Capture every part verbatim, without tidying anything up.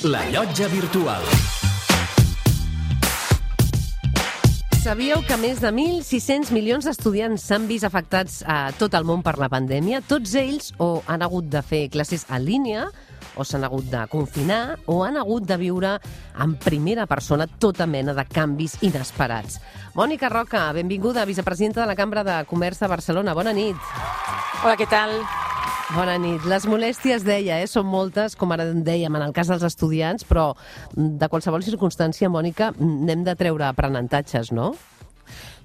La Llotja Virtual. Sabíeu que més de mil sis-cents milions d'estudiants s'han vist afectats a tot el món per la pandèmia? Tots ells o han hagut de fer classes en línia, o s'han hagut de confinar, o han hagut de viure en primera persona tota mena de canvis inesperats. Mònica Roca, benvinguda, vicepresidenta de la Cambra de Comerç de Barcelona. Bona nit. Hola, què tal? Bona nit. Les molèsties, deia, eh, són moltes, com ara dèiem, en el cas dels estudiants, però de qualsevol circumstància, Mònica, n'hem de treure aprenentatges, no?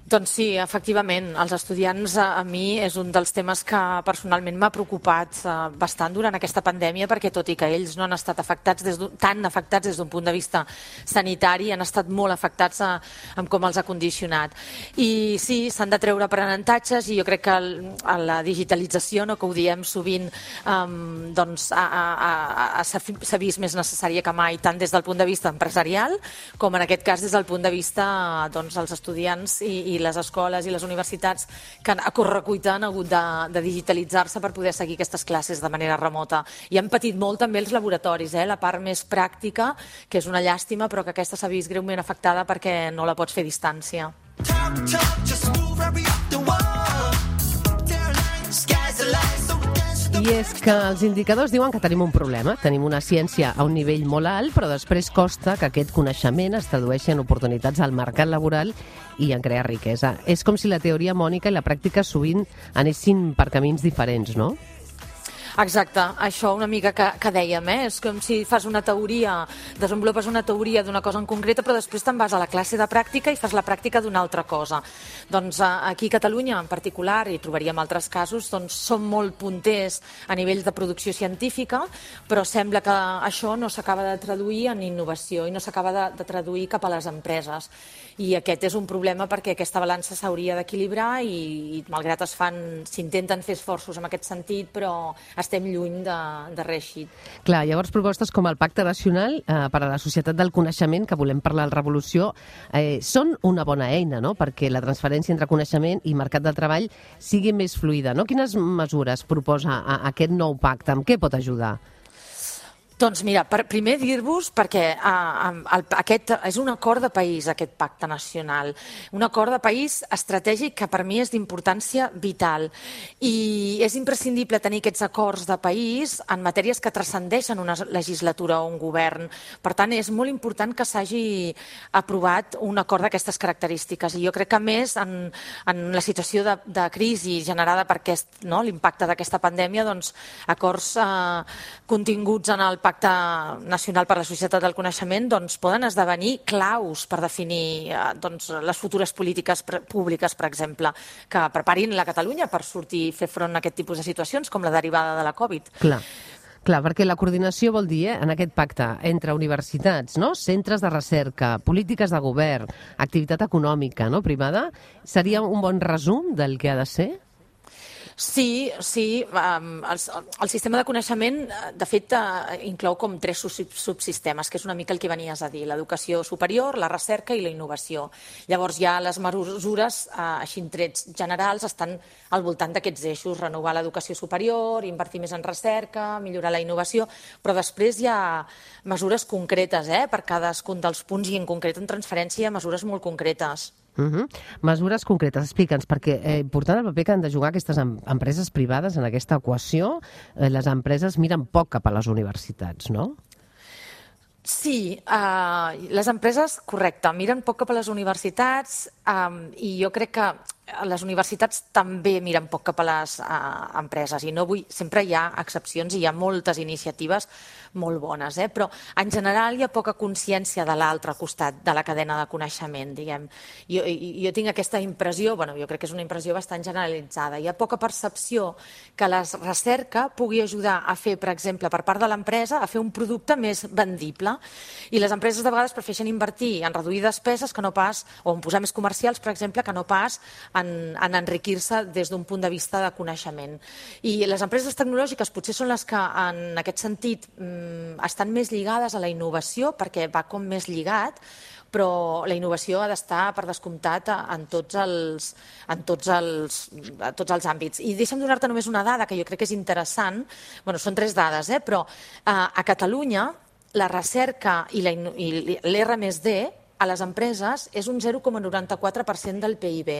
Doncs sí, efectivament, els estudiants a mi és un dels temes que personalment m'ha preocupat bastant durant aquesta pandèmia, perquè tot i que ells no han estat afectats des tan afectats des d'un punt de vista sanitari, han estat molt afectats a, amb com els ha condicionat. I sí, s'han de treure aprenentatges i jo crec que el, a la digitalització, no, que ho diem sovint, um, doncs s'ha vist més necessària que mai, tant des del punt de vista empresarial com en aquest cas des del punt de vista doncs, els estudiants i, i i les escoles i les universitats que a correcuita han hagut de, de digitalitzar-se per poder seguir aquestes classes de manera remota. I han patit molt també els laboratoris, eh? La part més pràctica, que és una llàstima, però que aquesta s'ha vist greument afectada perquè no la pots fer a distància. Talk, talk, just move right up the wall. Sky's the limit. I és que els indicadors diuen que tenim un problema, tenim una ciència a un nivell molt alt, però després costa que aquest coneixement es tradueixi en oportunitats al mercat laboral i en crear riquesa. És com si la teoria, Mònica, i la pràctica sovint anessin per camins diferents, no? Exacte, això una mica que, que dèiem, eh? És com si fas una teoria, desenvolupes una teoria d'una cosa en concreta, però després te'n vas a la classe de pràctica i fas la pràctica d'una altra cosa. Doncs aquí a Catalunya en particular, i trobaríem altres casos, doncs som molt punters a nivell de producció científica, però sembla que això no s'acaba de traduir en innovació i no s'acaba de, de traduir cap a les empreses. I aquest és un problema perquè aquesta balança s'hauria d'equilibrar i, i malgrat es fan, s'intenten fer esforços en aquest sentit, però estem lluny de, de reeixir. Clar, llavors propostes com el Pacte Nacional eh, per a la Societat del Coneixement, que volem parlar al Revolució, eh, són una bona eina, no?, perquè la transferència entre coneixement i mercat de treball sigui més fluida, no? Quines mesures proposa a, a aquest nou pacte? Amb què pot ajudar? Doncs mira, per, primer dir-vos, perquè uh, el, aquest és un acord de país, aquest pacte nacional, un acord de país estratègic que per mi és d'importància vital i és imprescindible tenir aquests acords de país en matèries que transcendeixen una legislatura o un govern. Per tant, és molt important que s'hagi aprovat un acord d'aquestes característiques i jo crec que més en, en la situació de, de crisi generada per aquest, no, l'impacte d'aquesta pandèmia, doncs acords uh, continguts en el Pacte Nacional per a la Societat del Coneixement doncs, poden esdevenir claus per definir eh, doncs, les futures polítiques públiques, per exemple, que preparin la Catalunya per sortir i fer front a aquest tipus de situacions, com la derivada de la Covid. Clar. Clar, perquè la coordinació vol dir, eh, en aquest pacte, entre universitats, no?, centres de recerca, polítiques de govern, activitat econòmica, no?, privada, seria un bon resum del que ha de ser? Sí, sí. Um, el, el sistema de coneixement, de fet, uh, inclou com tres subsistemes, que és una mica el que venies a dir, l'educació superior, la recerca i la innovació. Llavors ja les mesures, uh, així en trets generals, estan al voltant d'aquests eixos, renovar l'educació superior, invertir més en recerca, millorar la innovació, però després hi ha mesures concretes, eh, per cadascun dels punts i en concret en transferència mesures molt concretes. Uh -huh. Mesures concretes, explica'ns, perquè és eh, important el paper que han de jugar aquestes em empreses privades en aquesta equació. Eh, les empreses miren poc cap a les universitats, no? Sí, uh, les empreses, correcte, miren poc cap a les universitats um, i jo crec que les universitats també miren poc cap a les uh, empreses i no vull, sempre hi ha excepcions i hi ha moltes iniciatives molt bones, eh? Però en general hi ha poca consciència de l'altre costat de la cadena de coneixement, diguem. Jo, jo tinc aquesta impressió, bueno, jo crec que és una impressió bastant generalitzada, hi ha poca percepció que la recerca pugui ajudar a fer, per exemple, per part de l'empresa, a fer un producte més vendible i les empreses de vegades prefereixen invertir en reduir despeses que no pas, o en posar més comercials, per exemple, que no pas en, en enriquir-se des d'un punt de vista de coneixement. I les empreses tecnològiques potser són les que en aquest sentit estan més lligades a la innovació perquè va com més lligat, però la innovació ha d'estar per descomptat en tots els, en tots els, en tots els àmbits. I deixa'm donar-te només una dada que jo crec que és interessant, bueno, són tres dades, eh? Però eh, a Catalunya la recerca i l'R més D a les empreses és un zero coma noranta-quatre per cent del P I B,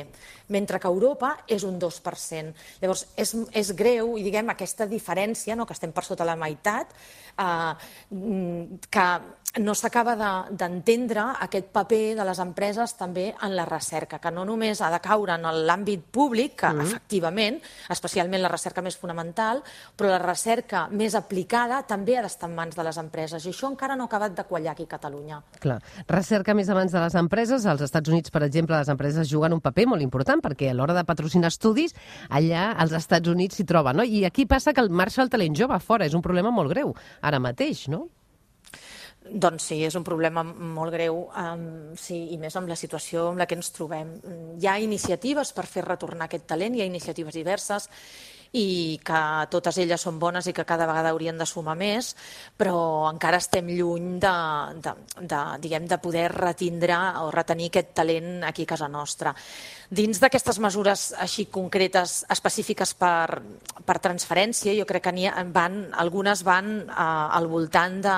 mentre que a Europa és un dos per cent. Llavors, és, és greu, i diguem, aquesta diferència, no, que estem per sota la meitat, eh, que no s'acaba d'entendre aquest paper de les empreses també en la recerca, que no només ha de caure en l'àmbit públic, que mm. efectivament, especialment la recerca més fonamental, però la recerca més aplicada també ha d'estar en mans de les empreses, i això encara no ha acabat de quallar aquí a Catalunya. Clar, recerca més a mans de les empreses. Als Estats Units, per exemple, les empreses juguen un paper molt important, perquè a l'hora de patrocinar estudis, allà als Estats Units s'hi troben, no? I aquí passa que el marxa el talent jove fora, és un problema molt greu, ara mateix, no? Doncs sí, és un problema molt greu, um, sí, i més amb la situació en la que ens trobem. Hi ha iniciatives per fer retornar aquest talent, hi ha iniciatives diverses, i que totes elles són bones i que cada vegada haurien de sumar més, però encara estem lluny de, de, de, diguem, de poder retindre o retenir aquest talent aquí a casa nostra. Dins d'aquestes mesures així concretes, específiques per, per transferència, jo crec que van, algunes van eh, al voltant de,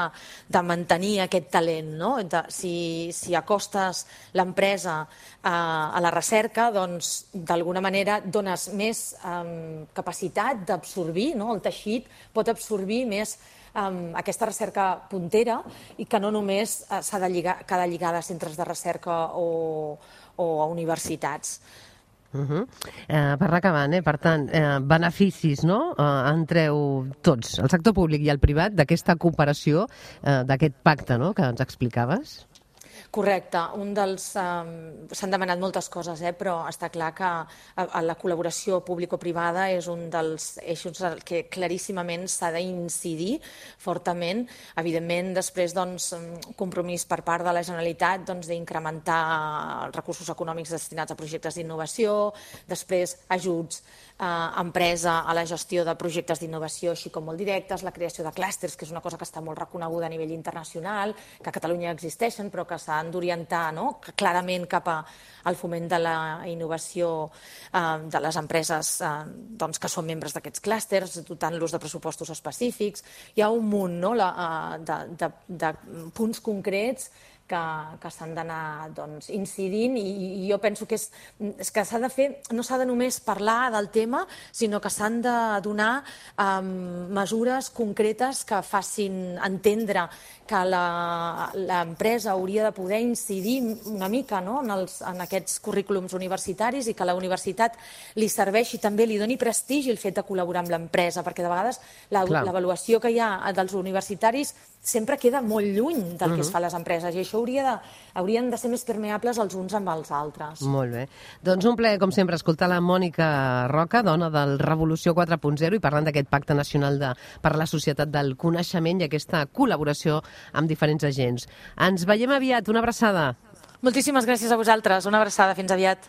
de mantenir aquest talent, no? De, si, si acostes l'empresa eh, a la recerca, doncs d'alguna manera dones més eh, capacitat d'absorbir, no? El teixit pot absorbir més um, aquesta recerca puntera i que no només uh, s'ha de lligar, quedar lligada a centres de recerca o, o a universitats. Uh -huh. eh, per anar acabant, eh? Per tant, eh, beneficis, no? Eh, en treu tots, el sector públic i el privat, d'aquesta cooperació, eh, d'aquest pacte, no?, que ens explicaves. Correcte. Un dels, um, s'han demanat moltes coses, eh, però està clar que a, a la col·laboració público-privada és un dels eixos que claríssimament s'ha d'incidir fortament. Evidentment, després, doncs, un compromís per part de la Generalitat doncs, d'incrementar els recursos econòmics destinats a projectes d'innovació, després ajuts a empresa a la gestió de projectes d'innovació així com molt directes, la creació de clústers, que és una cosa que està molt reconeguda a nivell internacional, que a Catalunya existeixen però que s'han d'orientar, no?, clarament cap al foment de la innovació eh, de les empreses eh, doncs, que són membres d'aquests clústers, dotant-los de pressupostos específics. Hi ha un munt, no?, la, de, de, de punts concrets que, que s'han d'anar doncs, incidint i, i jo penso que, és, és que s'ha de fer, no s'ha de només parlar del tema, sinó que s'han de donar um, mesures concretes que facin entendre que l'empresa hauria de poder incidir una mica, no?, en, els, en aquests currículums universitaris i que la universitat li serveixi també, li doni prestigi el fet de col·laborar amb l'empresa, perquè de vegades l'avaluació que hi ha dels universitaris sempre queda molt lluny del que es fa a les empreses i això hauria de, haurien de ser més permeables els uns amb els altres. Molt bé. Doncs un plaer, com sempre, escoltar la Mònica Roca, dona del Revolució quatre punt zero i parlant d'aquest Pacte Nacional de, per a la Societat del Coneixement i aquesta col·laboració amb diferents agents. Ens veiem aviat. Una abraçada. Moltíssimes gràcies a vosaltres. Una abraçada. Fins aviat.